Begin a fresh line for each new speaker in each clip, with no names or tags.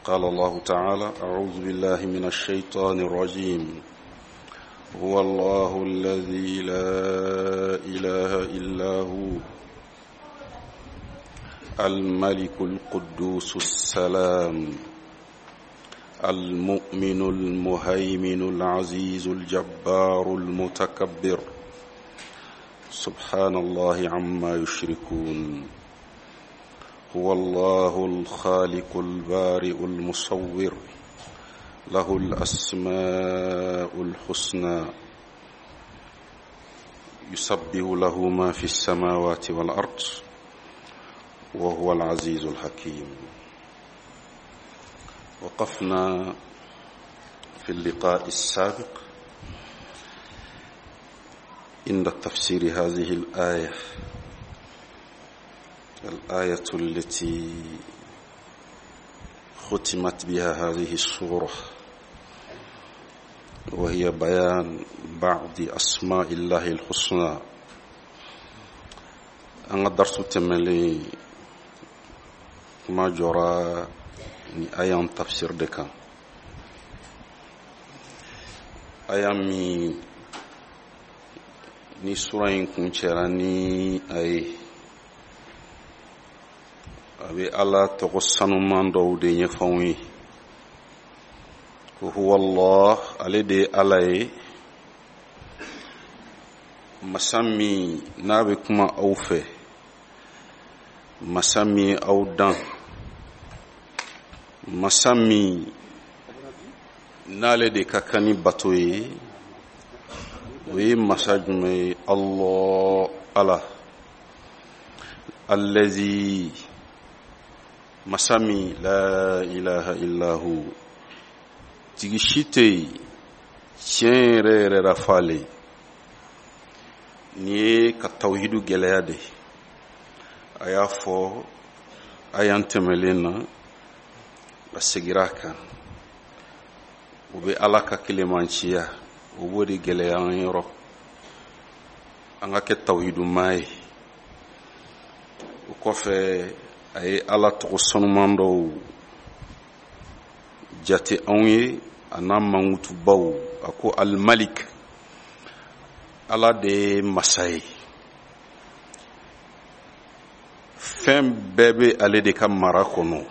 قال الله تعالى: أعوذ بالله من الشيطان الرجيم، هو الله الذي لا إله إلا هو الملك القدوس السلام المؤمن المهيمن العزيز الجبار المتكبر، سبحان الله عما يشركون. هو الله الخالق البارئ المصور، له الأسماء الحسنى، يسبح له ما في السماوات والأرض وهو العزيز الحكيم. وقفنا في اللقاء السابق عند تفسير هذه الآية، الآية التي ختمت بها هذه السورة، وهي بيان بعض أسماء الله الحسنى. An ka darisu tɛmɛlen, kuma jɔra ni aya tafsir de kan, aya min ni sura in kuncɛra ni a ye. A bɛ Ala tɔgɔ sanuman dɔw de ɲɛfɔ anw ye, ko huwa Allah, ale de ye Ala ye, masa min n'a bɛ kuma aw fɛ, masa min ye aw dan, masa min n'ale de ka kan ni bato ye. O ye masa jumɛn ye? Allah, Ala allazi, masa min, la ilaha illahu, tigi si tɛ yen tiɲɛ yɛrɛ yɛrɛ la f'ale. Nin ye ka tawhidu gɛlɛya de. A y'a fɔ a y'an tɛmɛlen na, a segira a kan. O bɛ Ala ka kelemanciya, o b'o de gɛlɛya an yɔrɔ, an ka kɛ tawhidu maa ye. O kɔfɛ, a ye Ala tɔgɔ sanuman dɔw jate anw ye, a n'a mankutubaw. A ko Alimalik, Ala de ye masa ye, fɛn bɛɛ bɛ ale de ka mara kɔnɔ.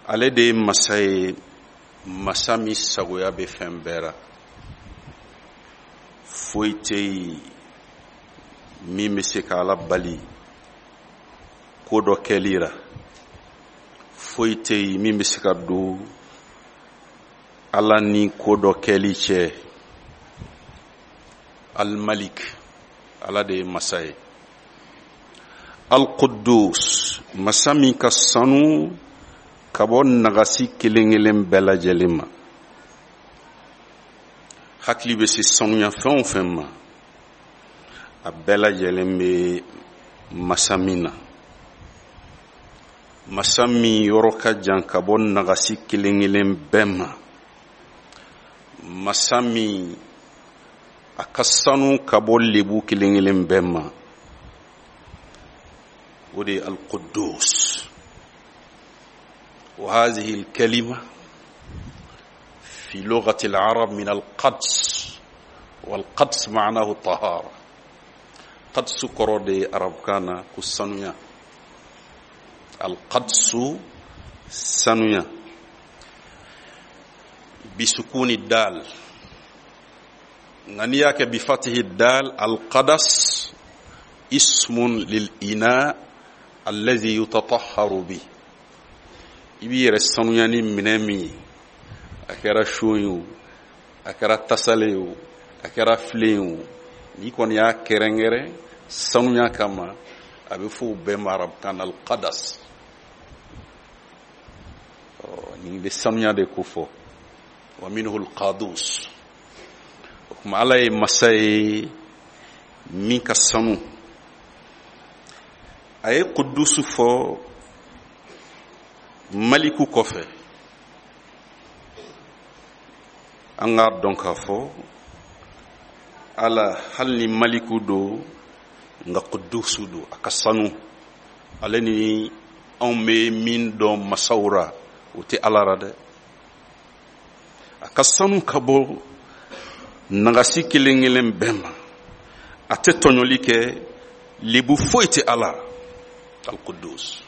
Ale de ye masa ye, masa min sagoya bɛ fɛn bɛɛ la. Foyi tɛ yen min bɛ se ka Ala bali ko dɔ kɛli la, foyi tɛ yen min bɛ se ka don Ala ni ko dɔ kɛli cɛ. Almalik, Ala de ye masa ye. Alquddus, masa min ka sanu ka bɔ nagasi kelen kelen bɛɛ lajɛlen ma. Hakili bɛ se sanuya fɛn o fɛn ma, a bɛɛ lajɛlen bɛ masa min na, masa min yɔrɔ ka jan ka bɔ nagasi kelen kelen bɛɛ ma, masa min a ka sanu ka bɔ lebu kelen kelen bɛɛ ma, o de ye Alquddus. وهذه الكلمة في لغة العرب من القدس، والقدس معناه الطهارة. قدس kɔrɔ de ye arabukan na ko sanuya. القدس sanuya، بسكون الدال. Nka n'i y'a kɛ بفتح الدال، القدس اسم للإناء الذي يتطهر به. I b'i yɛrɛ sanuya ni minɛn min ye, a kɛra son ye o, a kɛra tasale ye o, a kɛra filen ye o, n'i kɔni y'a kɛrɛnkɛrɛn sanuya kama, a bɛ fɔ o bɛɛ ma arabukan na alqadas. Nin bɛ sanuya de ko fɔ. ومنه القادوس. O tuma, Ala ye masa ye min ka sanu. A ye kudusu fɔ maliku kɔfɛ. An k'a dɔn k'a fɔ Ala, hali ni maliku don, nka kudusu don, a ka sanu. Ale ni Anw bɛ min dɔn masaw ra, o tɛ Ala ra dɛ. A ka sanu ka bɔ nagasi kelen kelen bɛɛ ma. A tɛ tɔɲɔli kɛ, lebu foyi tɛ Ala. Al-Quddus.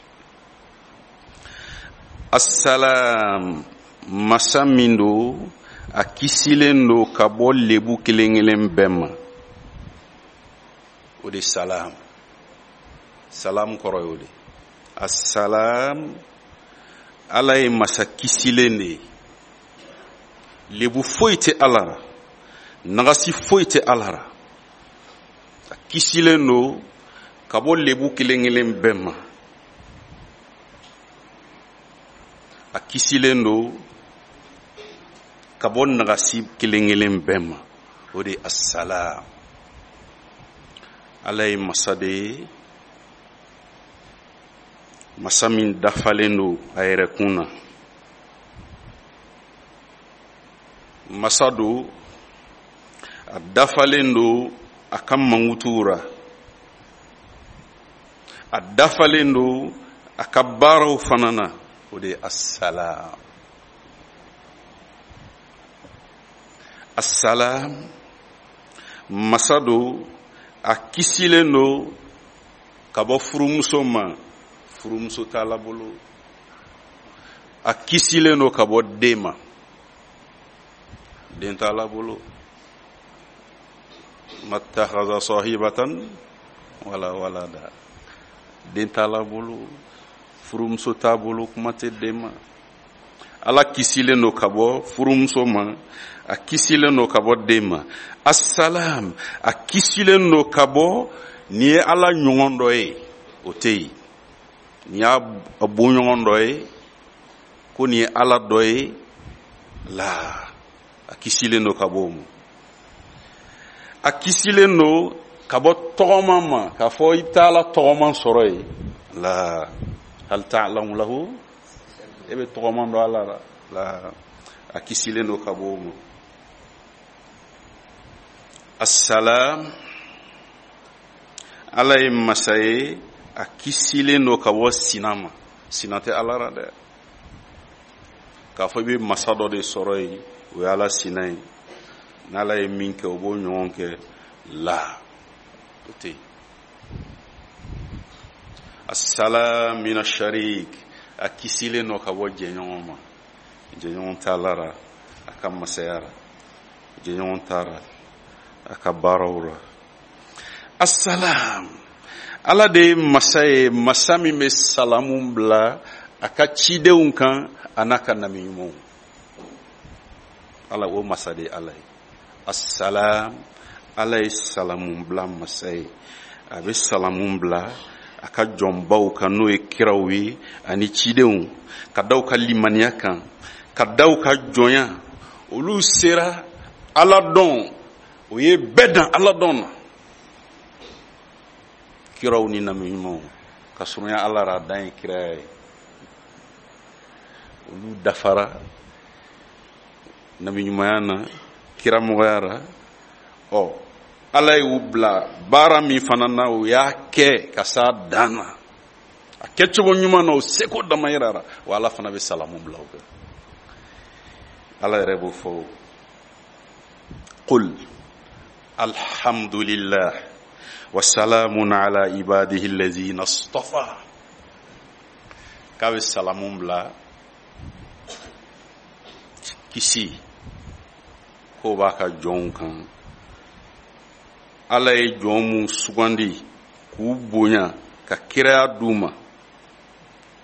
Assalam, masa min don, a kisilen don ka bɔ lebu kelen kelen bɛɛ ma. O de salam. Salam kɔrɔ y'o de. Assalam, Ala ye masa kisilen de ye. Lebu foyi tɛ Ala la, nagasi foyi tɛ Ala la. A kisilen don ka bɔ lebu kelen kelen bɛɛ ma. A kisilen don ka bɔ nagasi kelen kelen bɛɛ ma. O de ye assalam. Ala ye masa de ye, masa min dafalen don a yɛrɛ kun na. Masa don, a dafalen don a ka mankutuw ra. A dafalen don a ka baaraw fana na. O de ye assalam. Assalam, masa don, a kisilen don ka bɔ furumuso ma, furumuso t'a la bolo. A kisilen don ka bɔ den ma, den t'a la bolo. Mattakhadha sahibatan wala walada. Den t'a la bolo, furumuso t'a bolo, kuma tɛ den ma. Ala kisilen don ka bɔ furumuso ma, a kisilen don ka bɔ den ma. Assalam, a kisilen don ka bɔ nin ye Ala ɲɔgɔn dɔ ye, o tɛ yen. Nin y'a bɔɲɔgɔn dɔ ye, ko nin ye Ala dɔ ye, la, a kisilen don ka bɔ o ma. A kisilen don ka bɔ tɔgɔma ma, k'a fɔ i bɛ taa Ala tɔgɔma sɔrɔ yen, la, hal ta'lamu lahu, e bɛ tɔgɔma dɔn Ala la, la, a kisilen don ka bɔ o ma. Assalam, Ala ye masa ye, a kisilen don ka bɔ sina ma. Sina tɛ Ala la dɛ. K'a fɔ i bɛ masa dɔ de sɔrɔ yen, o ye Ala sina ye. N'Ala ye min kɛ, o b'o ɲɔgɔn kɛ, la, o tɛ yen. Assalam mina sharik, a kisilen don ka bɔ jɛɲɔgɔn ma. Jɛɲɔgɔn t'a la ra, a ka masaya ra. Jɛɲɔgɔn t'a ra, a ka baaraw ra. Assalam, Ala de ye masa ye, masa min bɛ salamu bila a ka cidenw kan a n'a ka nabi ɲumanw. Ala, o masa de ye Ala ye. Assalam, Ala ye salamu bila masa ye. A bɛ salamu bila a ka jɔnbaw kan, n'o ye kiraw ye ani cidenw, ka da u ka limaniya kan, ka da u ka jɔnya. Olu sera Ala dɔn, o ye bɛɛ dan Ala dɔn na. Kiraw ni nabi ɲumanw ka surunya Ala ra, a dan ye kiraya ye. Olu dafara nabi ɲumanya na, kiramɔgɔya ra. Ala y'u bila baara min fana na, u y'a kɛ ka s'a dan na, a kɛcogo ɲuman na, o seko damayira ra. Wa Ala fana bɛ salamu bila u kan. Ala yɛrɛ b'o fɔ, qul alhamdulillah wa salamun ala ibadihi allazina istafa. K'a bɛ salamu bila, kisi k'o b'a ka jɔnw kan. Ala ye jɔn mun sugandi k'u bonya ka kiraya d'u ma,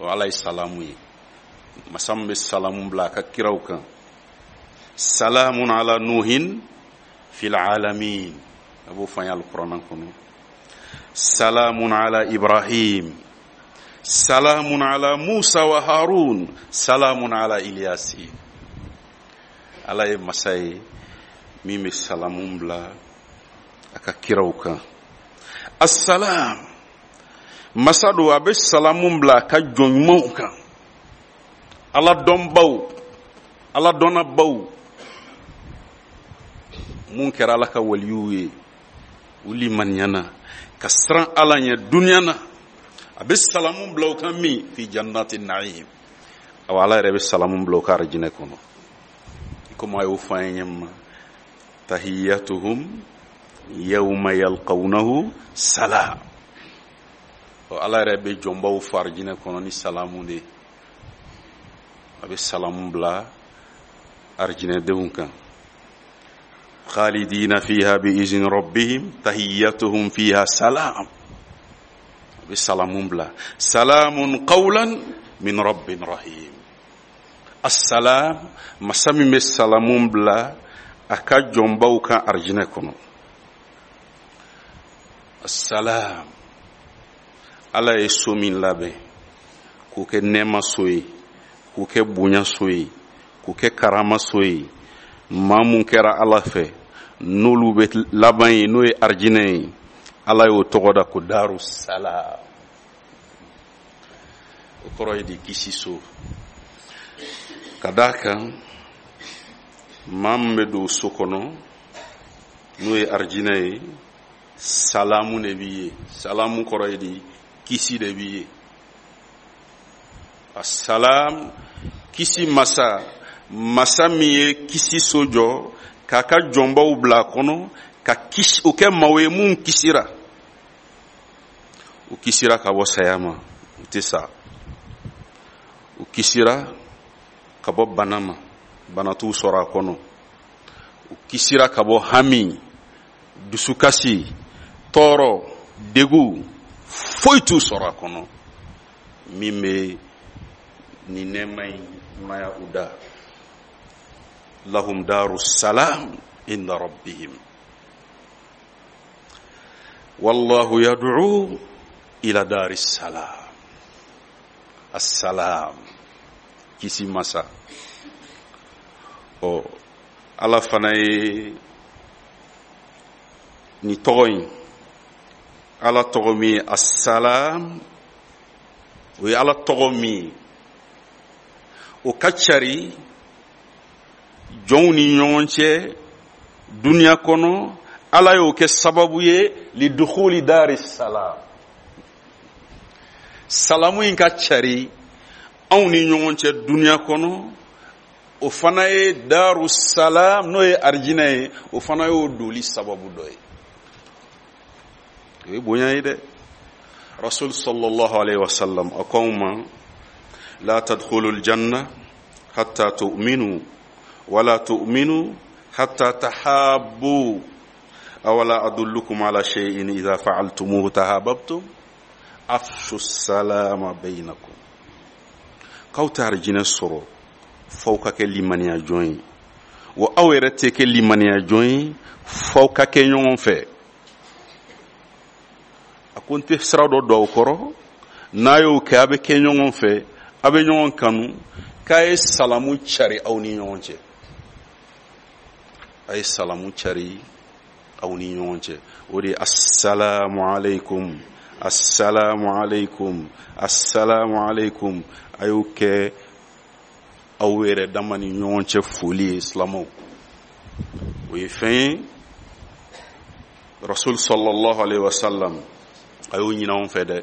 o Ala ye salamu ye. Masa min bɛ salamu bila a ka kiraw kan. Salamun ala nuhin fil alamin, a b'o fɔ an ye alikuranɛ kɔnɔ. Salamun ala Ibrahim, salamun ala Musa wa Harun, salamun ala Ilyasin. Ala ye masa ye min bɛ salamu bila a ka kiraw kan. Assalam, masa don, a bɛ salamu bila a ka jɔn ɲumanw kan, Ala dɔnbaw, Ala dɔnnabaw, mun kɛra Ala ka waliw ye, u limaniyana ka siran Ala ɲɛ duniya na A bɛ salamu bila u kan min? Fi jannati naim. Awa, Ala yɛrɛ bɛ salamu bila u kan arijinɛ kɔnɔ, komi a y'o fɔ an ye ɲɛ ma: tahiyyatuhum yawma yalqawnahu salam. Ɔ, Ala yɛrɛ bɛ jɔnbaw fo arijinɛ kɔnɔ ni salamu de ye. A bɛ salamu bila arijinɛdenw kan: khalidina fiha bi izni rabbihim tahiyyatuhum fiha salam. A bɛ salamu bila: salamun qawlan min rabbin rahim. Assalam, masa min bɛ salamu bila a ka jɔnbaw kan arijinɛ kɔnɔ. Assalam, Ala ye so min labɛn k'o kɛ nɛɛma so ye, k'o kɛ bonya so ye, k'o kɛ karama so ye, maa mun kɛra Ala fɛ, n'olu bɛ laban ye, n'o ye arijinɛ ye, Ala y'o tɔgɔ da ko daru salam. O kɔrɔ ye di? Kisi so. Ka d'a kan, maa min bɛ don so kɔnɔ, n'o ye arijinɛ ye, salamu de b'i ye. Salamu kɔrɔ ye di? Kisi de b'i ye. Asalam, kisi masa, masa min ye kisi so jɔ k'a ka jɔnbaw bila a kɔnɔ, ka kisi o kɛ maaw ye mun kisira. U kisira ka bɔ saya ma, u tɛ sa. U kisira ka bɔ bana ma, bana t'u sɔrɔ a kɔnɔ. U kisira ka bɔ hami, dusukasi, tɔɔrɔ, degu, foyi t'u sɔrɔ a kɔnɔ min bɛ nin nɛɛma in maya u da. Lahum daru salam inda rabbihim wallahu yad'u ila dari salam. Assalam, kisi masa. Ɔ, Ala fana ye nin tɔgɔ in, Ala tɔgɔ min ye assalam, o ye Ala tɔgɔ min ye, o ka cari jɔnw ni ɲɔgɔn cɛ duniya kɔnɔ. Ala y'o kɛ sababu ye lidukhuli dari salam. Salamu in ka cari anw ni ɲɔgɔn cɛ duniya kɔnɔ, o fana ye daru salam, n'o ye arijinɛ ye, o fana y'o doli sababu dɔ ye. O ye bonya ye dɛ. Rasul sallallahu alaihi wasallam a ko anw ma: la tadkhulu aljanna hatta tu'minu wala tu'minu hatta tahabbu, awala adullukum ala shay'in idha fa'altumuhu tahabbtum, afshu salama bainakum. K'aw tɛ arijinɛ sɔrɔ f'aw ka kɛ limaniya jɔn ye, wa aw yɛrɛ tɛ kɛ limaniya jɔn ye f'aw ka kɛ ɲɔgɔn fɛ. A ko n tɛ sira dɔ don aw kɔrɔ, n'a y'o kɛ, a bɛ kɛ ɲɔgɔn fɛ, a bɛ ɲɔgɔn kanu? K'a ye salamu cari aw ni ɲɔgɔn cɛ. A ye salamu cari aw ni ɲɔgɔn cɛ. O de ye assalamu alaikum, assalamu alaikum, assalamu alaikum. A y'o kɛ aw yɛrɛ dama ni ɲɔgɔn cɛ foli ye, silamɛw. O ye fɛn ye, Rasul sallallahu alaihi wasallam a y'o ɲini anw fɛ dɛ.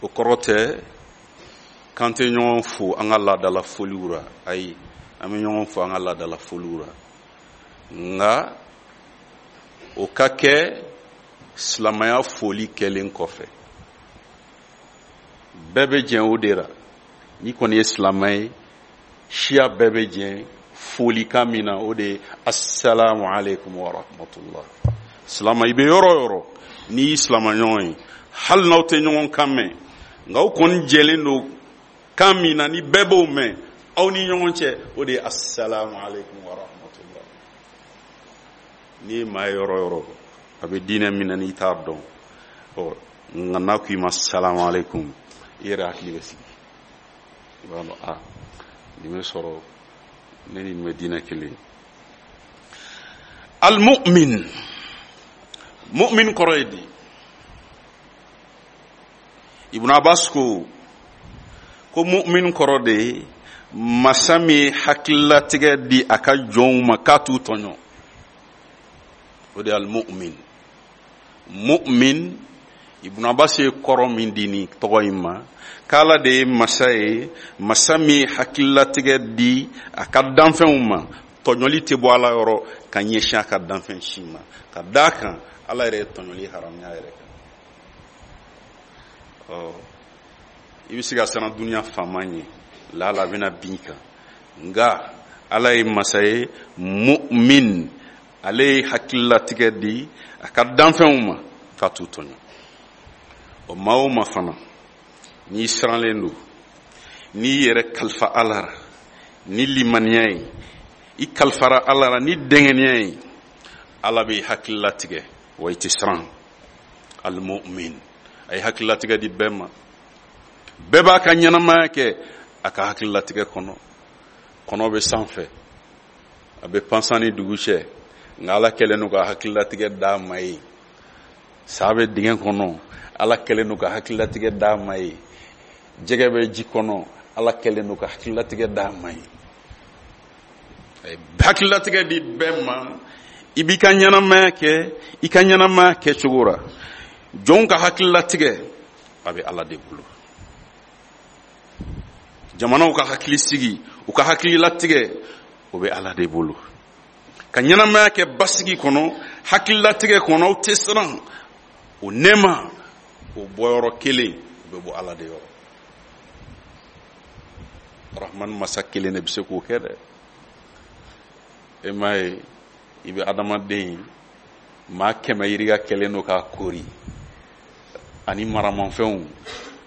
O kɔrɔ tɛ k'an tɛ ɲɔgɔn fo an ka laadala foliw ra. Ayi, an bɛ ɲɔgɔn fo an ka laadala foliw ra, nka o ka kɛ silamɛya foli kɛlen kɔfɛ. Bɛɛ bɛ jɛn o de ra. N'i kɔni ye silamɛ ye, siya bɛɛ bɛ jɛn folikan min na, o de ye assalamu alaikum wa rahmatullah. Silama, i bɛ yɔrɔ o yɔrɔ, n'i y'i silama ɲɔgɔn ye, hali n'aw tɛ ɲɔgɔn kan mɛn, nka aw kɔni jɛlen don kan min na, ni bɛɛ b'o mɛn aw ni ɲɔgɔn cɛ, o de ye assalamu alaikum wa rahmatullah. N'i ye maa ye yɔrɔ o yɔrɔ, a bɛ diinɛ min na, n'i t'a dɔn, ɔ, nka n'a ko i ma salamu alaikum, i yɛrɛ hakili bɛ sigi, i b'a dɔn a nin bɛ sɔrɔ ne ni nin bɛ diinɛ kelen ye. Almu'min, mu'min kɔrɔ ye di? Ibn Abbas ko mu'min kɔrɔ de ye masa min ye hakililatigɛ di a ka jɔnw ma k'a t'u tɔɲɔ. O de ye almu'min. Mu'min Ibn Abbas ye kɔrɔ min di nin tɔgɔ in ma, k'Ala de ye masa ye, masa min ye hakililatigɛ di a ka danfɛnw ma. Tɔɲɔli tɛ bɔ Ala yɔrɔ ka ɲɛsin a ka danfɛn si ma, ka d'a kan Ala yɛrɛ ye tɔɲɔli haramuya yɛrɛ kan. Ɔ, i bɛ se ka siran duniya faama ɲɛ, laala a bɛna bin kan, nka Ala ye masa ye mu'min, ale ye hakililatigɛ di a ka danfɛnw ma k'a t'u tɔɲɔ. O maa o maa fana n'i siranlen don, n'i yɛrɛ kalifa Ala la ni limaniya ye, i kalifara Ala la ni dɛngɛniya ye, Ala b'i hakililatigɛ wa i tɛ siran. Al-mu'min, a ye hakililatigɛ di bɛɛ ma, bɛɛ b'a ka ɲɛnamaya kɛ a ka hakililatigɛ kɔnɔ. Kɔnɔ bɛ sanfɛ, a bɛ pansan ni dugu cɛ, nka Ala kɛlen don ka hakililatigɛ d'a ma ye. Sa bɛ dingɛ kɔnɔ, Ala kɛlen don ka hakililatigɛ d'a ma ye. Jɛgɛ bɛ ji kɔnɔ, Ala kɛlen don ka hakililatigɛ d'a ma ye. A ye hakililatigɛ di bɛɛ ma, i b'i ka ɲɛnamaya kɛ i ka ɲɛnamaya kɛcogo la. Jɔnw ka hakililatigɛ a bɛ Ala de bolo. Jamanaw ka hakili sigi, u ka hakililatigɛ, o bɛ Ala de bolo. Ka ɲɛnamaya kɛ basigi kɔnɔ, hakililatigɛ kɔnɔ, aw tɛ siran. O nɛɛma, o bɔyɔrɔ kelen, o bɛ bɔ Ala de yɔrɔ. Rahman masa kelen de bɛ se k'o kɛ dɛ. E m'a ye, i bɛ adamaden ye, maa 100 yirika kɛlen don k'a kori, ani maramanfɛnw,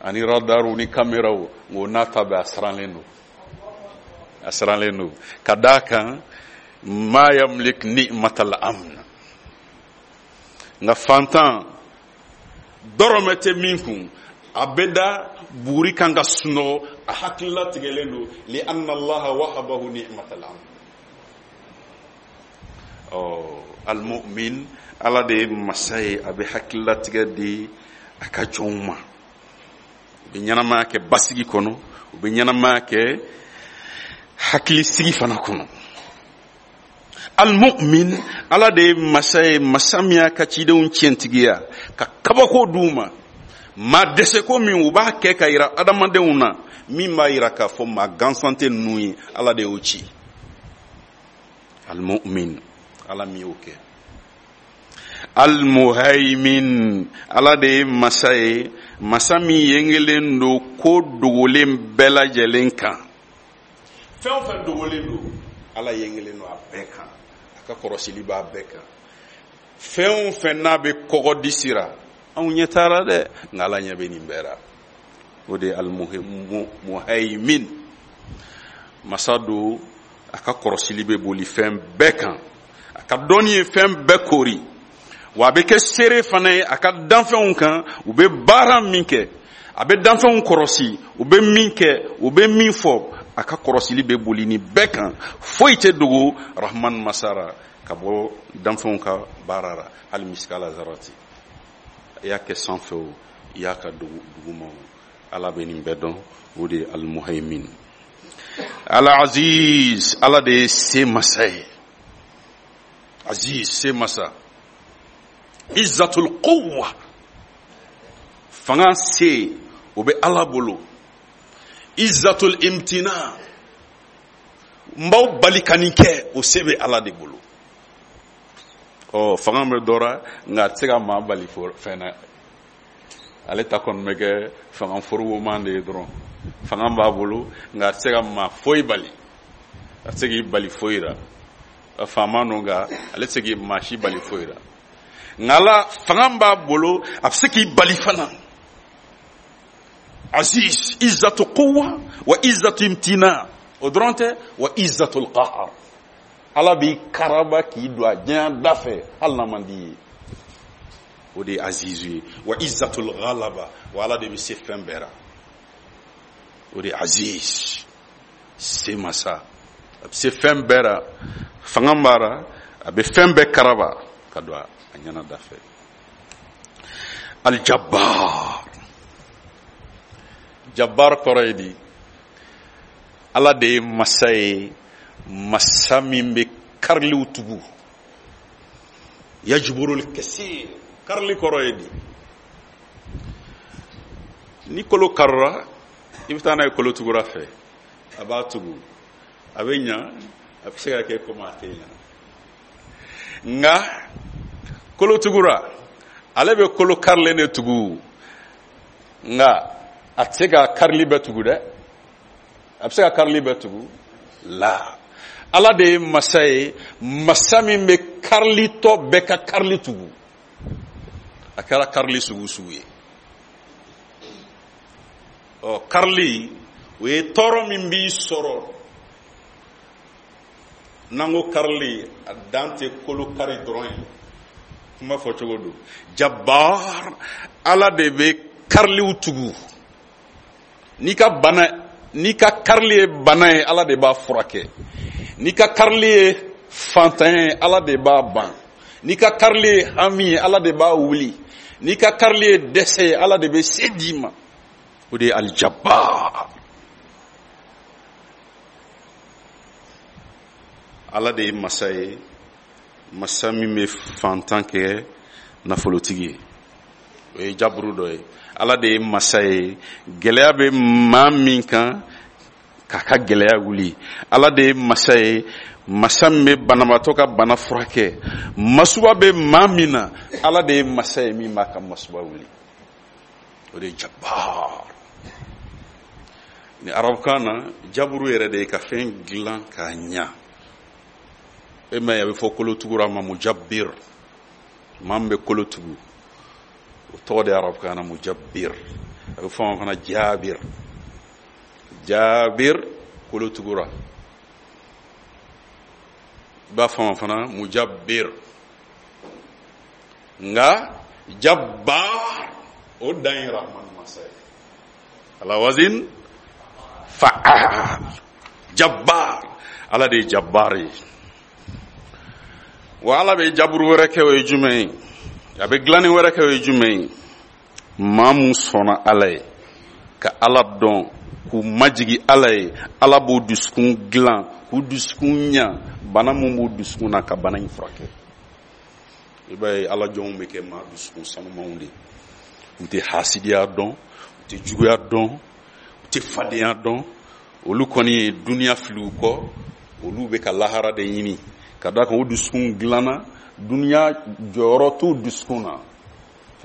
ani radariw ni kameraw, nka o n'a ta bɛɛ a siranlen don. A siranlen don ka d'a kan ma yamlik ni'matal amn. Nka fantan dɔrɔmɛ tɛ min kun, a bɛ da buguri kan ka sunɔgɔ, a hakilila tigɛlen don, li anna allaha wahabahu ni'matal amn. Ɔ, almu'min, Ala de ye masa ye, a bɛ hakililatigɛ di a ka jɔnw ma. U bɛ ɲɛnamaya kɛ basigi kɔnɔ, u bɛ ɲɛnamaya kɛ hakilisigi fana kɔnɔ. Almu'min, Ala de ye masa ye, masa min y'a ka cidenw tiɲɛtigiya ka kabako d'u ma, maa dɛsɛko min u b'a kɛ ka yira adamadenw na, min b'a yira k'a fɔ maa gansan tɛ ninnu ye, Ala de y'o ci. Almu'min, Ala min y'o kɛ. Almuhaymin, Ala de ye masa ye, masa min yengelen don ko dogolen bɛɛ lajɛlen kan. Fɛn o fɛn dogolen don, Ala yengelen don a bɛɛ kan, a ka kɔrɔsili b'a bɛɛ kan. Fɛn o fɛn n'a bɛ kɔgɔ disi ra, anw ɲɛ t'a la dɛ, nka Ala ɲɛ bɛ nin bɛɛ la. O de ye almuhaymin. Masa don, a ka kɔrɔsili bɛ boli fɛn bɛɛ kan, a ka dɔnni ye fɛn bɛɛ kori, wa a bɛ kɛ seere fana ye a ka danfɛnw kan, u bɛ baara min kɛ, a bɛ danfɛnw kɔrɔsi, u bɛ min kɛ, u bɛ min fɔ, a ka kɔrɔsili bɛ boli nin bɛɛ kan. Foyi tɛ dogo Rahman masara ka bɔ danfɛnw ka baara la, hali misikala zarati. I y'a kɛ sanfɛ o, i y'a ka duguma o, Ala bɛ nin bɛɛ dɔn. O de ye almuhaymin. Al-Aziz, Ala de ye se masa ye. Aziz, se masa. Izzatul quwwa, fanga se o bɛ Ala bolo. Izzatul imtina, n b'aw bali ka nin kɛ, o se bɛ Ala de bolo. Ɔ, fanga bɛ dɔ ra, nka a tɛ se ka maa bali fɛn na. Ale ta kɔni bɛ kɛ fanga forogoman de ye dɔrɔn. Fanga b'a bolo, nka a tɛ se ka maa foyi bali, a tɛ se k'i bali foyi la. Faama don, nka ale tɛ se k'i maa si bali foyi la. Nka Ala fanga b'a bolo, a bɛ se k'i bali fana. Aziz, izzatu quwwa wa izzatu imtina, o dɔrɔn tɛ, wa izzatul qahar. Ala b'i karaba k'i don a diɲɛ da fɛ, hali n'a man d'i ye. O de ye azizu ye. Wa izzatul ghalaba, wa Ala de bɛ se fɛn bɛɛ la. O de ye aziz, se masa, a bɛ se fɛn bɛɛ la, fanga b'a la, a bɛ fɛn bɛɛ karaba ka don a ɲɛna da fɛ. Aljabbar, jabbar kɔrɔ ye di? Ala de ye masa ye, masa min bɛ kariliw tugu. Yajburul kasir, karili kɔrɔ ye di? Ni kolo karila, i bɛ taa n'a ye kolotugura fɛ, a b'a tugu, a bɛ ɲa, a bɛ se ka kɛ komi a tɛ ɲa. Nka kolotugura, ale bɛ kolo karilen de tugu, nka a tɛ se ka karili bɛɛ tugu dɛ. A bɛ se ka karili bɛɛ tugu la. Ala de ye masa ye, masa min bɛ karilitɔ bɛɛ ka karili tugu, a kɛra karili sugu sugu ye. Ɔ, karili o ye tɔɔrɔ min b'i sɔrɔ. N'an ko karili, a dan tɛ kolo kari dɔrɔn ye, kuma fɔ cogo don. Jabbar, Ala de bɛ kariliw tugu. N'i ka bana, n'i ka karili ye bana ye, Ala de b'a furakɛ. N'i ka karili ye fantanya ye, Ala de b'a ban. N'i ka karili ye hami ye, Ala de b'a wuli. N'i ka karili ye dɛsɛ ye, Ala de bɛ se d'i ma. O de ye alijabbar. Ala de ye masa ye, masa min bɛ fantan kɛ nafolotigi ye, o ye jaburu dɔ ye. Ala de ye masa ye, gɛlɛya bɛ maa min kan k'a ka gɛlɛya wuli. Ala de ye masa ye, masa min bɛ banabaatɔ ka bana furakɛ. Masuba bɛ maa min na, Ala de ye masa ye min b'a ka masuba wuli. O de ye jabbar. Ni arabukan na, jaburu yɛrɛ de ye ka fɛn dilan k'a ɲa. E ma ye, a bɛ fɔ kolotugura ma mujabbir, maa min bɛ kolo tugu, o tɔgɔ de ye arabukan na mujabbir. A bɛ fɔ a ma fana jabir, jabir kolotugura. I b'a fɔ a ma fana mujabbir. Nka jabbar, o dan ye rahman masa ye, ala wazin fa'al. Jabbar, Ala de ye jabbar ye. Wa Ala bɛ jaburu wɛrɛ kɛ, o ye jumɛn ye? A bɛ dilanni wɛrɛ kɛ, o ye jumɛn ye? Maa mun sɔnna Ala ye, ka Ala dɔn, k'u majigi Ala ye, Ala b'u dusukun dilan, k'u dusukun ɲa, bana mun b'u dusukun na, ka bana in furakɛ. I b'a ye, Ala jɔnw bɛ kɛ maa dusukun sanumanw de ye. U tɛ hasidiya dɔn, u tɛ juguya dɔn, u tɛ fadenya dɔn. Olu kɔni ye duniya fili u kɔ, olu bɛ ka lahara de ɲini. Ka d'a kan u dusukun dilanna, duniya jɔyɔrɔ t'u dusukun na,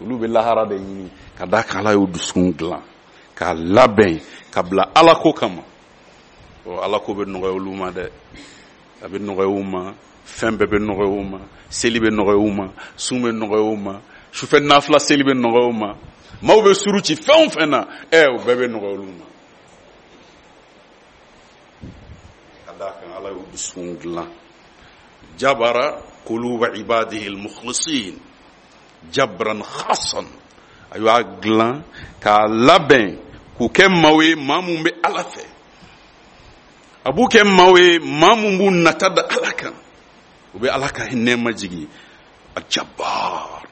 olu bɛ lahara de ɲini. Ka d'a kan Ala y'u dusukun dilan k'a labɛn ka bila Ala ko kama. Ɔ, Ala ko bɛ nɔgɔya olu ma dɛ, a bɛ nɔgɔya u ma, fɛn bɛɛ bɛ nɔgɔya u ma, seli bɛ nɔgɔya u ma, sun bɛ nɔgɔya u ma, sufɛ nafila seli bɛ nɔgɔya u ma, maaw bɛ suru ci fɛn o fɛn na, o bɛɛ bɛ nɔgɔya olu ma. Ka d'a kan Ala y'u dusukun dilan. Jabara kuluba ibadihi almukhlisin jabran khasan, a y'a dilan k'a labɛn k'u kɛ maaw ye, maa mun bɛ Ala fɛ. A b'u kɛ maaw ye, maa mun b'u nata da Ala kan, u bɛ Ala ka nɛɛma jigin. A jabbar.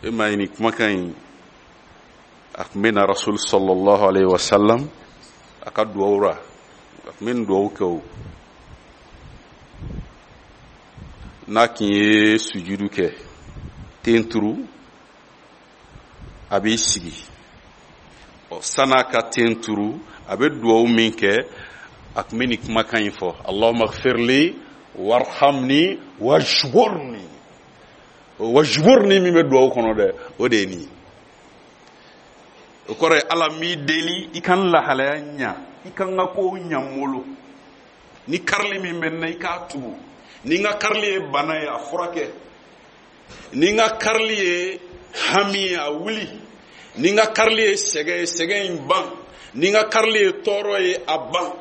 E m'a ye, nin kumakan in a tun bɛ na Rasul sallallahu alaihi wa sallam a ka duwawu ra, a tun bɛ nin duwawu kɛ. O n'a tun ye sujudu kɛ, ten turu, a b'i sigi. Ɔ, san'a ka ten turu, a bɛ duwawu min kɛ, a tun bɛ nin kumakan in fɔ: Allahumma ighfirli warhamni wajburni. O wajburni min bɛ duwawu kɔnɔ dɛ, o de ye nin ye. O kɔrɔ ye, Ala, n b'i deli, i ka n lahalaya ɲa, i ka n ka kow ɲa n bolo. Ni karili min bɛ n na, i k'a tugu. Ni n ka karili ye bana ye, a furakɛ. Ni n ka karili ye hami ye, a wuli. Ni n ka karili ye sɛgɛn ye, sɛgɛn in ban. Ni n ka karili ye tɔɔrɔ ye, a ban.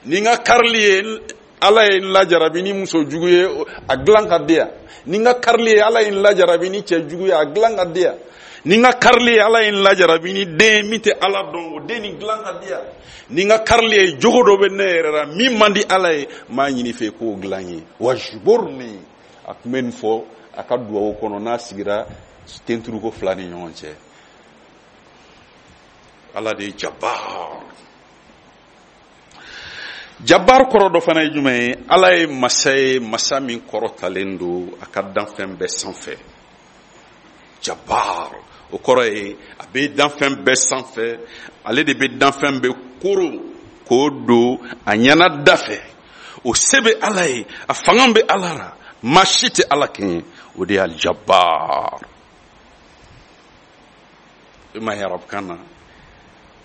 Ni n ka karili ye Ala ye n lajarabi ni muso jugu ye, a dilan ka di yan. Ni n ka karili ye Ala ye n lajarabi ni cɛ jugu ye, a dilan ka di yan. Ni n ka karili ye Ala ye n lajarabi ni den min tɛ Ala dɔn, o den nin dilan ka di yan. Ni n ka karili ye jogo dɔ bɛ ne yɛrɛ la min man di Ala ye, n b'a ɲini fɛ k'o dilan ye. Wajburni, a tun bɛ nin fɔ a ka duwawu kɔnɔ n'a sigira tenturuko fila ni ɲɔgɔn cɛ. Ala de ye jabbar. Jabbar kɔrɔ dɔ fana ye jumɛn ye? Ala ye masa ye, masa min kɔrɔtalen don a ka danfɛn bɛɛ sanfɛ. Jabbar, O kɔrɔ ye a bɛ danfɛn bɛɛ sanfɛ, ale de bɛ danfɛn bɛɛ koron k'o don a ɲɛna da fɛ. O se bɛ Ala ye, a fanga bɛ Ala la, maa si tɛ Ala kɛɲɛ. O de ye aljabar. I m'a ye arabukan na,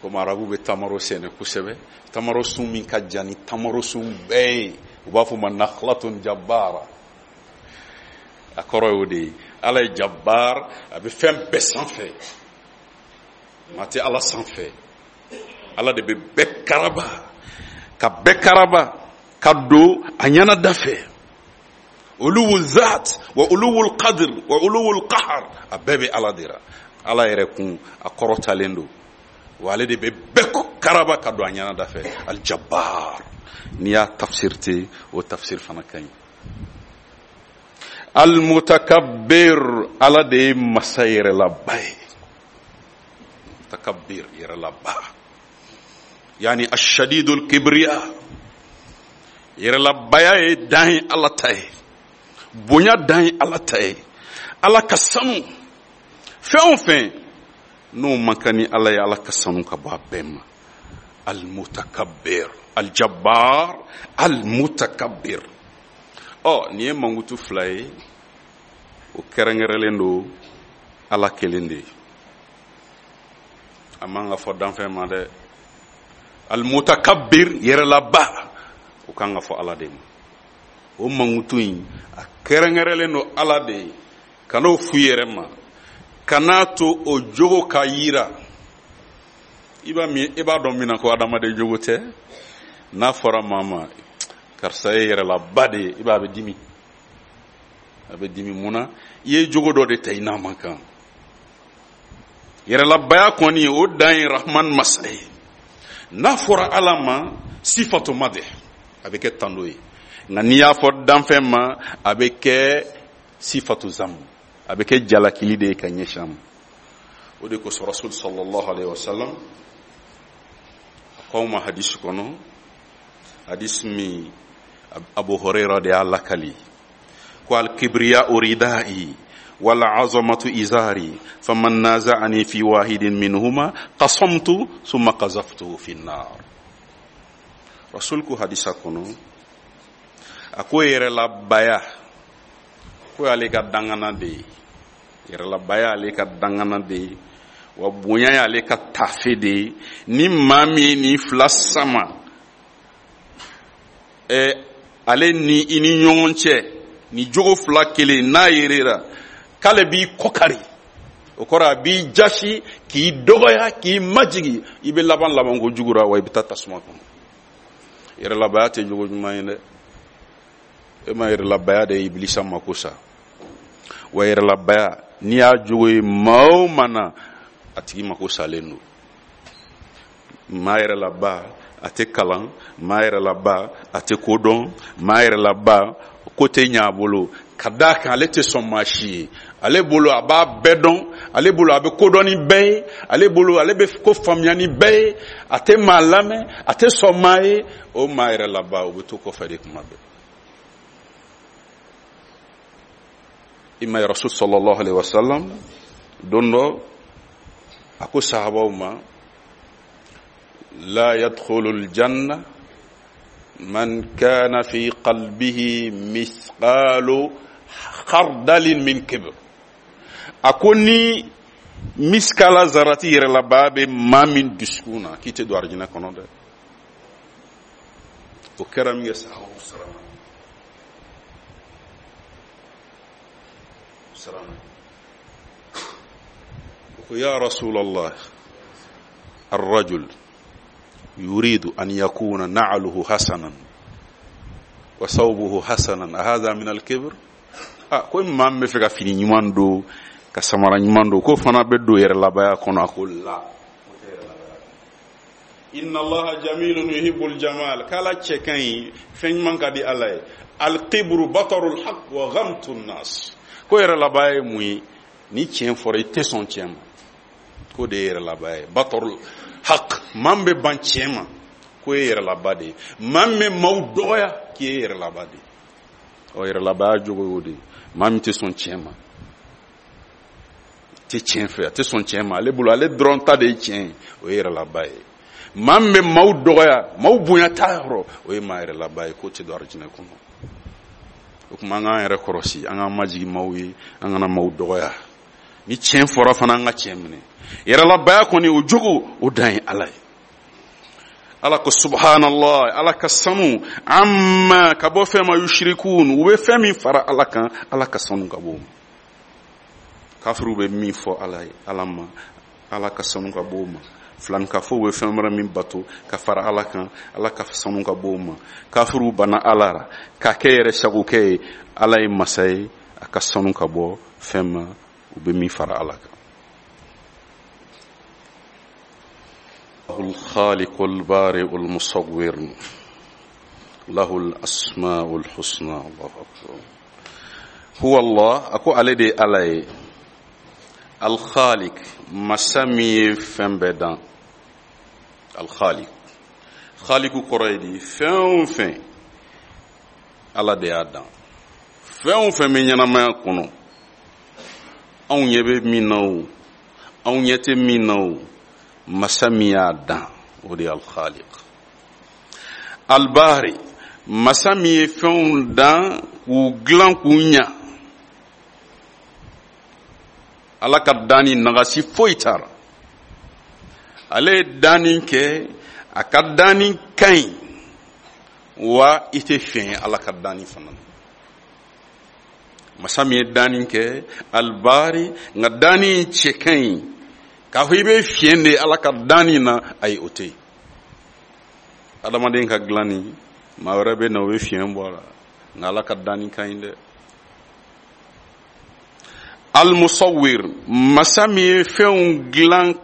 komi arabu bɛ tamaro sɛnɛ kosɛbɛ, tamaro sun min ka jan ni tamaro sun bɛɛ ye, u b'a fɔ ma nakhlatun jabbara. A kɔrɔ y'o de ye, Ala ye jabbar, a bɛ fɛn bɛɛ sanfɛ, maa tɛ Ala sanfɛ. Ala de bɛ bɛɛ karaba, ka bɛɛ karaba ka don a ɲɛna da fɛ. Uluwul zat wa uluwul qadr wa uluwul qahar, a bɛɛ bɛ Ala de la. Ala yɛrɛ kun a kɔrɔtalen don, wa ale de bɛ bɛɛ karaba ka don a ɲɛna da fɛ. Aljabbar, n'i y'a tafsir ten, o tafsir fana ka ɲi. Almutakabbir, Ala de ye masa yɛrɛlaba ye. Mutakabbir, yɛrɛlaba, yani ashadidul kibriya, yɛrɛlabaya ye dan ye Ala ta ye, bonya dan ye Ala ta ye. Ala ka sanu, fɛn o fɛn n'o man kan ni Ala ye, Ala ka sanu ka bɔ a bɛɛ ma. Almutakabbir, aljabbar, almutakabbir. Ɔ, nin ye mankutu fila ye, o kɛrɛnkɛrɛnlen don Ala kelen de ye. A man ka fɔ danfɛn ma dɛ. Almutakabbir, yɛrɛlaba, o kan ka fɔ Ala de ma. O mankutu in a kɛrɛnkɛrɛnlen don Ala de ye. Kan'o f'u yɛrɛ ma, kan'a to o jogo ka yira. I b'a min, i b'a dɔn min na ko adamaden jogo tɛ. N'a fɔra maa ma karisa ye yɛrɛlaba de ye, i b'a a bɛ dimi. A bɛ dimi mun na? I ye jogo dɔ de ta i n'a man kan. Yɛrɛlabaya kɔni o dan ye Rahman masa ye. N'a fɔra Ala ma sifatu madh, a bɛ kɛ tando ye. Nka n'i y'a fɔ danfɛn ma, a bɛ kɛ sifatu zam, a bɛ kɛ jalakili de ye ka ɲɛsin a ma. O de kosɔn Rasul sallallahu alaihi wasallam a ko anw ma hadisi kɔnɔ, hadisi min Abu Huraira de y'a lakali, ko alkibriya ridai wal azamatu izari faman naza'ani fi wahidin minhuma qasamtu thumma qazaftuhu fi an-nar. Rasul ko hadisa kɔnɔ, a ko yɛrɛlabaya ko y'ale ka dangana de ye, yɛrɛlabaya y'ale ka dangana de ye, wa bonya y'ale ka tafe de ye. Ni maa min ye nin fila sama, ale ni i ni ɲɔgɔn cɛ ni jogo fila kelen n'a yerera, k'ale b'i kɔkari, o kɔrɔ a b'i jasi k'i dɔgɔya k'i majigi, i bɛ laban laban ko jugu la, wa i bɛ taa tasuma kɔnɔ. Yɛrɛlabaya tɛ jogo ɲuman ye dɛ. E ma yɛrɛlabaya de ye ibilisa mako sa. Wa yɛrɛlabaya, n'i y'a jogo ye maa o maa na, a tigi mako salen don. Maa yɛrɛlaba a tɛ kalan, maa yɛrɛlaba a tɛ kodɔn, maa yɛrɛlaba ko tɛ ɲɛ a bolo, ka d'a kan ale tɛ sɔn maa si ye. Ale bolo a b'a bɛɛ dɔn, ale bolo a bɛ kodɔn ni bɛɛ ye, ale bolo ale bɛ ko faamuya ni bɛɛ ye, a tɛ maa lamɛn, a tɛ sɔn maa ye. O maa yɛrɛlaba o bɛ to kɔfɛ de kuma bɛɛ. I ma ye Rasul sallallahu alaihi wasallam don dɔ a ko sahabaw ma, la yadkhulul janna man kana fi qalbihi mithqalu khardalin min kibr. A ko ni miskala zarati yɛrɛlaba bɛ maa min dusukun na, k'i tɛ don arijinɛ kɔnɔ dɛ. O kɛra min kɛ sahabaw siranna. Siranna. O ko ya Rasulallah, الرجل يريد أن يكون نعله حسنا وثوبه حسنا، أهذا من الكبر؟ ko maa min bɛ fɛ ka fini ɲuman don, ka samara ɲuman don, k'o fana bɛ don yɛrɛlabaya kɔnɔ? A ko la, inna allaha jamilun yuhibbul jamal, k'ala cɛ ka ɲi, fɛn ɲuman ka di Ala ye. Alkibru batarul haq wa ghamtu nnas. Ko yɛrɛlabaya ye mun ye? Ni tiɲɛ fɔra i tɛ sɔn tiɲɛ ma, k'o de ye yɛrɛlabaya ye. Batarul haq, maa min bɛ ban tiɲɛ ma, k'o ye yɛrɛlaba de ye. Maa min bɛ maaw dɔgɔya, k'i ye yɛrɛlaba de ye. Ɔ, yɛrɛlabaya jogo y'o de ye, maa min tɛ sɔn tiɲɛ ma. tɛ tiɲɛ fɛ, a tɛ sɔn tiɲɛ ma, ale bolo ale dɔrɔn ta de ye tiɲɛ ye, o ye yɛrɛlaba ye. Maa min bɛ maaw dɔgɔya, maaw bonya t'a yɔrɔ, o ye maa yɛrɛlaba ye, k'o tɛ don arijinɛ kɔnɔ. O tuma an k'an yɛrɛ kɔrɔsi, an k'an majigin maaw ye, an kana maaw dɔgɔya. Ni tiɲɛ fɔra fana, an ka tiɲɛ minɛ. Yɛrɛlabaya kɔni, o jogo, o dan ye Ala ye. Ala ko subhanallah, Ala ka sanu, amma, ka bɔ fɛn ma, yushrikun, u bɛ fɛn min fara Ala kan, Ala ka sanu ka bɔ o ma. Kafiriw bɛ min fɔ Ala ye, Ala ma, Ala ka sanu ka bɔ o ma. Filankafow bɛ fɛn wɛrɛ min bato ka fara Ala kan, Ala ka sanu ka bɔ o ma. Kafiriw banna Ala la k'a kɛ yɛrɛ sagokɛ ye, Ala ye masa ye, a ka sanu ka bɔ fɛn ma u bɛ min fara Ala kan. الخالق البارئ المصور له الأسماء الحسنى. الله أكبر. هو الله، أكو على دي علي الخالق، مسامي فن بدان. الخالق، خالق كوريدي فن فن ala de y'a dan. Fɛn o fɛn bɛ ɲɛnamaya kɔnɔ, anw ɲɛ bɛ min na o, anw ɲɛ tɛ min na o, masa min y'a dan, o de ye alkhaliq. Albari, masa min ye fɛnw dan k'u dilan k'u ɲa, Ala ka danni nagasi foyi t'a la. Ale ye danni kɛ, a ka danni ka ɲi, wa i tɛ fiɲɛ ye Ala ka danni fana na. Masa min ye danni kɛ, albari, nka danni cɛ ka ɲi k'a fɔ i bɛ fiɲɛ de Ala ka danni na, ayi, o tɛ yen. Adamaden ka dilanni, maa wɛrɛ bɛ na, o bɛ fiɲɛ bɔ a la, nka Ala ka danni ka ɲi dɛ. Almusawwir, masa min ye fɛnw dilan,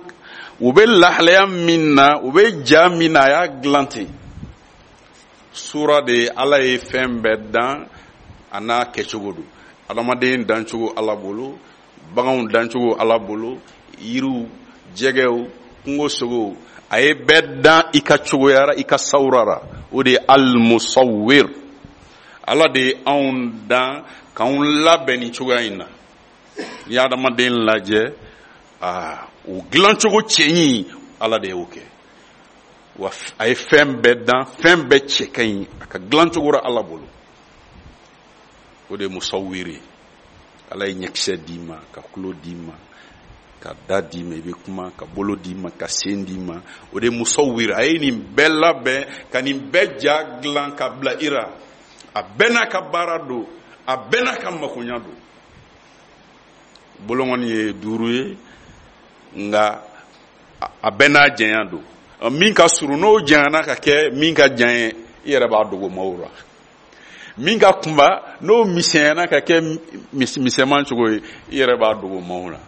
u bɛ lahalaya min na, u bɛ ja min na, a y'a dilan ten. Sura de ye, Ala ye fɛn bɛɛ dan a n'a kɛcogo don. Adamaden dancogo Ala bolo, baganw dancogo Ala bolo, yiriw, jɛgɛw, kungo sogow, a ye bɛɛ dan i ka cogoya ra, i ka sawura ra. O de ye almusawwir. Ala de ye anw dan k'anw labɛn nin cogoya in na. N'i ye adamaden lajɛ, aa, o dilancogo cɛɲi, Ala de y'o kɛ. Wa a ye fɛn bɛɛ dan, fɛn bɛɛ cɛ ka ɲi a ka dilancogo ra Ala bolo. O de ye musawwiri. Ala ye ɲɛkisɛ d'i ma, ka tulo d'i ma, ka da d'i ma, i bɛ kuma, ka bolo d'i ma, ka sen d'i ma. O de ye musawwiri. A ye nin bɛɛ labɛn ka nin bɛɛ ja dilan ka bila i ra. A bɛɛ n'a ka baara don, a bɛɛ n'a ka makoɲa don. Bolonkɔni ye 5 ye, nka a bɛɛ n'a janya don. Min ka surun, n'o janyana ka kɛ min ka jan ye, i yɛrɛ b'a dogo maaw la. Min ka kunba, n'o misɛnyana ka kɛ misɛnman cogo ye, i yɛrɛ b'a dogo maaw la.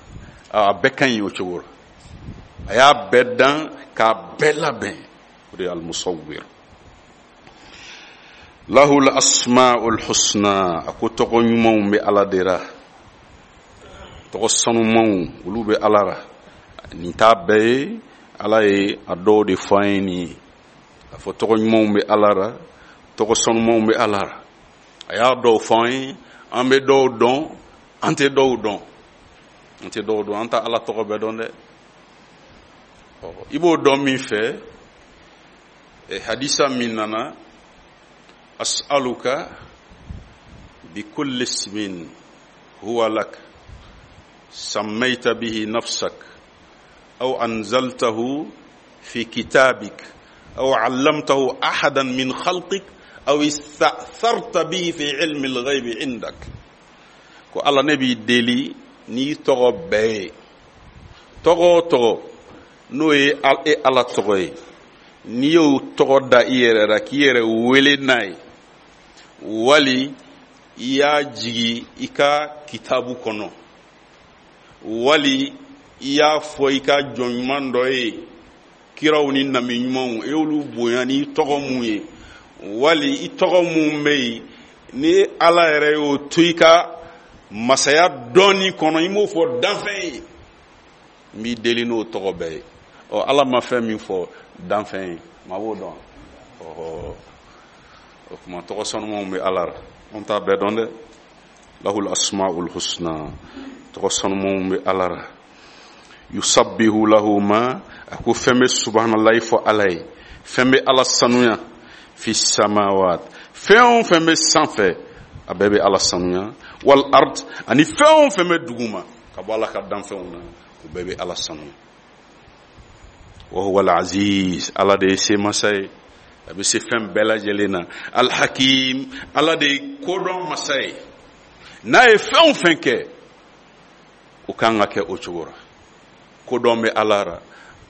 A bɛɛ ka ɲi o cogo la. A y'a bɛɛ dan k'a bɛɛ labɛn. O de ye almusawwir. Lahul asmaul husna, a ko tɔgɔ ɲumanw bɛ Ala de ra, tɔgɔ sanumanw olu bɛ Ala ra. Nin t'a bɛɛ ye, Ala ye a dɔw de fɔ an ye nin ye. A fɔ tɔgɔ ɲumanw bɛ Ala ra, tɔgɔ sanumanw bɛ Ala ra. A y'a dɔw fɔ an ye, an bɛ dɔw dɔn, an tɛ dɔw dɔn. An tɛ dɔw dɔn, an tɛ Ala tɔgɔ bɛɛ dɔn dɛ. I b'o dɔn min fɛ, hadisa min nana, as'aluka bi kulli ismin huwa lak sammayta bihi nafsak aw anzaltahu fi kitabik aw allamtahu ahadan min khalqik aw ista'tharta bihi fi ilmi al-ghaybi indak. Ko Ala, ne b'i deli n'i tɔgɔ bɛɛ ye, tɔgɔ o tɔgɔ n'o ye e Ala tɔgɔ ye, n'i y'o tɔgɔ da i yɛrɛ la k'i yɛrɛ wele n'a ye, wali i y'a jigi i ka kitabu kɔnɔ, wali i y'a fɔ i ka jɔn ɲuman dɔ ye, kiraw ni nami ɲumanw, e y'olu bonya n'i tɔgɔ mun ye, wali i tɔgɔ mun bɛ yen ni Ala yɛrɛ y'o to i ka masaya dɔɔni kɔnɔ, i m'o fɔ danfɛn ye, n b'i deli n'o tɔgɔ bɛɛ ye. Ala ma fɛn min fɔ danfɛn ye, maa b'o dɔn. O tuma tɔgɔ sanumanw bɛ Ala la, an t'a bɛɛ dɔn dɛ. Lahul asmaul husna, tɔgɔ sanumanw bɛ Ala la. Yusabbihu lahu ma, a ko fɛn bɛ subahanallahi fɔ Ala ye, fɛn bɛ Ala sanuya, fi samawat, fɛn o fɛn bɛ sanfɛ a bɛɛ bɛ Ala sanuya, wal ard, ani fɛn o fɛn bɛ duguma ka bɔ Ala ka danfɛnw na, o bɛɛ bɛ Ala sanuya. Wa huwa al-aziz, Ala de ye se masa ye, a bɛ se fɛn bɛɛ lajɛlen na. Al-hakim, Ala de ye kodɔn masa ye, n'a ye fɛn o fɛn kɛ o kan ka kɛ o cogo ra. Kodɔn bɛ Ala ra,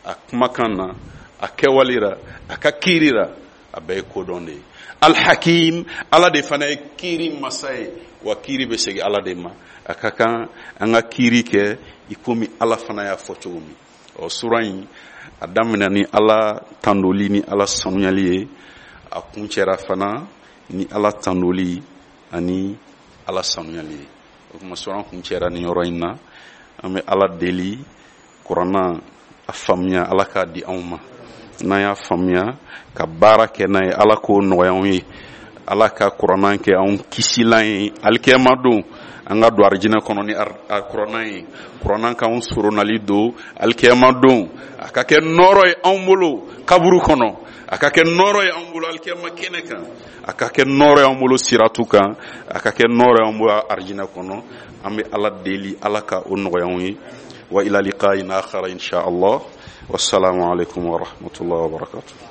a kumakan na, a kɛwale ra, a ka kiiri ra, a bɛɛ ye kodɔn de ye. Al-hakim, Ala de fana ye kiiri masa ye, wa kiiri bɛ segin Ala de ma. A ka kan an ka kiiri kɛ i komi Ala fana y'a fɔ cogo min. Ɔ sura in a daminɛ ni Ala tandoli ni Ala sanuyali ye, a kuncɛra fana ni Ala tandoli ani Ala sanuyali ye. O tuma sura kuncɛra nin yɔrɔ in na. An bɛ Ala deli kuranna a faamuya, Ala k'a di anw ma, n'an y'a faamuya ka baara kɛ n'a ye, Ala k'o nɔgɔya anw ye. Ala ka kuranna kɛ anw kisilan ye alikiyama don, an ka don arijinɛ kɔnɔ ni kuranna ye. Kuranna k'anw soronali don alikiyama don, a ka kɛ nɔɔrɔ ye anw bolo kaburu kɔnɔ, a ka kɛ nɔɔrɔ ye anw bolo alikiyama kɛnɛ kan, a ka kɛ nɔɔrɔ ye anw bolo siratu kan, a ka kɛ nɔɔrɔ ye anw bolo arijinɛ kɔnɔ. An bɛ Ala deli Ala ka o nɔgɔya anw ye. Wa ila liqa'in akhara insha Allah. Wassalamu alaikum wa rahmatullahi wa barakatuh.